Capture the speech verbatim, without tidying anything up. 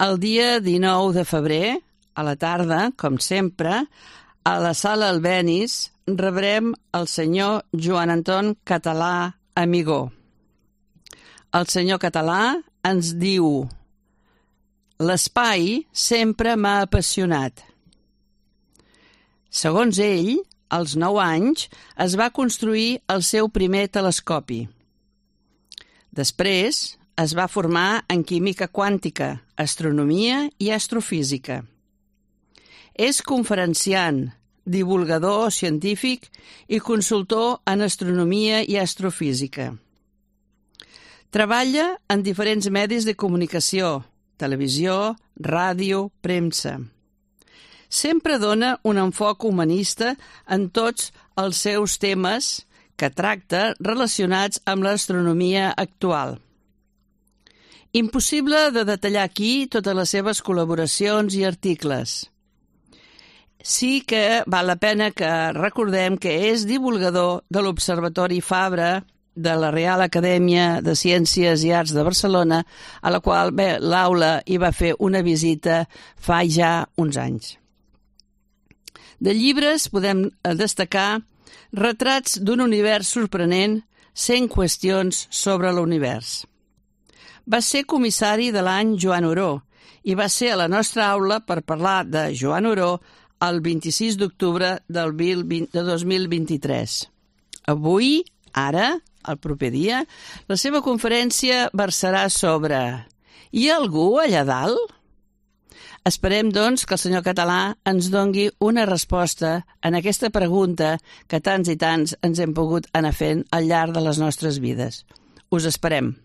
El dia dinou de febrer, a la tarda, com sempre, a la sala Albéniz rebrem el senyor Joan Anton Català Amigó. El senyor Català ens diu: l'espai sempre m'ha apassionat. Segons ell, als nou anys es va construir el seu primer telescopi. Després es va formar en química quàntica, astronomia i astrofísica. És conferenciant, divulgador científic i consultor en astronomia i astrofísica. Treballa en diferents medis de comunicació, televisió, ràdio, premsa. Sempre dona un enfoc humanista en tots els seus temes que tracta relacionats amb l'astronomia actual. Impossible de detallar aquí totes les seves col·laboracions i articles. Sí que val la pena que recordem que és divulgador de l'Observatori Fabra de la Real Acadèmia de Ciències i Arts de Barcelona, a la qual bé, l'aula hi va fer una visita fa ja uns anys. De llibres podem destacar Retrats d'un univers sorprenent, cent qüestions sobre l'univers. Va ser comissari de l'any Joan Oró i va ser a la nostra aula per parlar de Joan Oró el vint-i-sis d'octubre del dos mil vint-i-tres. Avui, ara, el proper dia, la seva conferència versarà sobre «Hi ha algú allà dalt?» Esperem, doncs, que el senyor Català ens dongui una resposta en aquesta pregunta que tants i tants ens hem pogut anar fent al llarg de les nostres vides. Us esperem.